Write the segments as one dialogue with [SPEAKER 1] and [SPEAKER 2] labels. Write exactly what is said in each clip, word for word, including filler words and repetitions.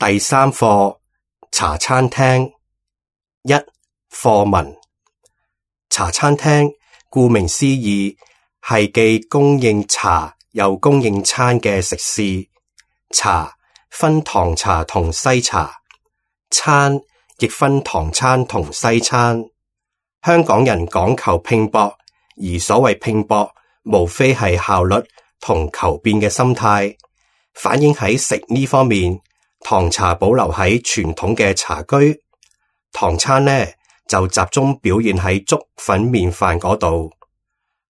[SPEAKER 1] 第三課茶餐廳。一、課文。茶餐廳顧名思義係既供應茶又供應餐嘅食肆。茶分唐茶同西茶，餐亦分唐餐同西餐。香港人講求拼搏，而所謂拼搏無非係效率同求變嘅心態，反映喺食呢方面，唐茶保留喺傳統嘅茶居，唐餐呢就集中表現喺粥粉麵飯嗰度。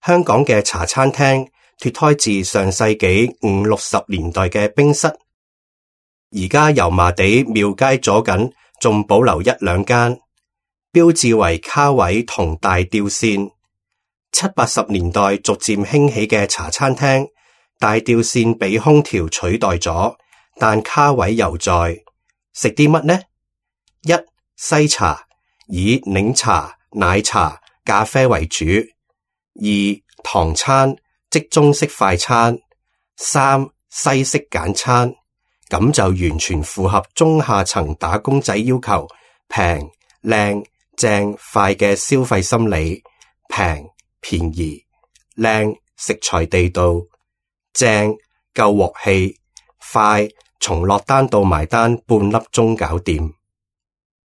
[SPEAKER 1] 香港嘅茶餐廳脫胎自上世紀五六十年代嘅冰室，而家油麻地廟街左近仲保留一兩間，標誌為卡位同大吊扇。七八十年代逐漸興起嘅茶餐廳，大吊扇被空調取代咗，但卡位猶在。食啲乜呢？一、西茶，以檸茶、奶茶、咖啡為主。二、唐餐，即中式快餐。三、西式簡餐，咁就完全符合中下層打工仔要求，平、靚、正、快嘅消費心理。平、便宜、靚、食材地道、正、夠鑊氣、快，從落單到埋單半粒鐘搞掂。